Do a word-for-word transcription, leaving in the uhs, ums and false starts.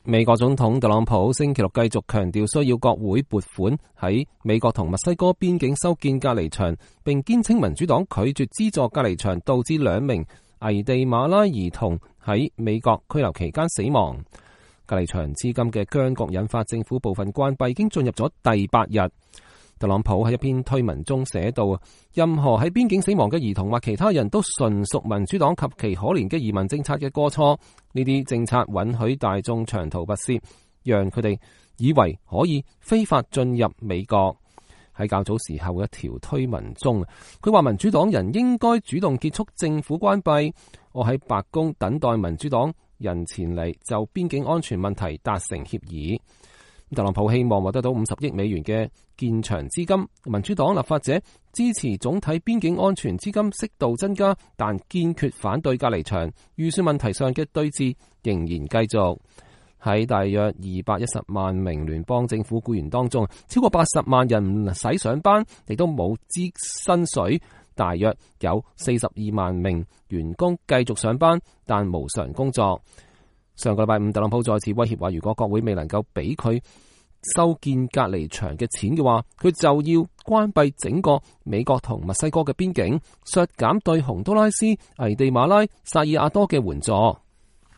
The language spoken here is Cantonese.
美國總統特朗普星期六繼續強調需要國會撥款喺美國同墨西哥邊境修建隔離牆，並堅稱民主黨拒絕資助隔離牆，導致兩名危地馬拉兒童喺美國拘留期間死亡。隔離牆至今嘅僵局引發政府部分關閉，已經進入咗第八日。特朗普喺一篇推文中寫道：任何喺邊境死亡嘅兒童或其他人都純屬民主黨及其可憐嘅移民政策嘅過錯。呢啲政策允許大眾長途跋涉，讓佢哋以為可以非法進入美國。喺較早時候嘅一條推文中，佢話民主黨人應該主動結束政府關閉。我喺白宮等待民主黨人前嚟就邊境安全問題達成協議。特朗普希望獲得到五十億美元嘅建牆資金，民主黨立法者支持總體邊境安全資金適度增加，但堅決反對隔離牆。預算問題上嘅對峙仍然繼續。喺大約二百一十萬名聯邦政府僱員當中，超過八十萬人唔使上班，亦都冇支薪水。大約有四十二萬名員工繼續上班，但無償工作。上個禮拜五，特朗普再次威脅話，如果國會未能夠俾佢修建隔離牆嘅錢嘅話，佢就要關閉整個美國同墨西哥嘅邊境，削減對洪都拉斯、危地馬拉、薩爾瓦多嘅援助。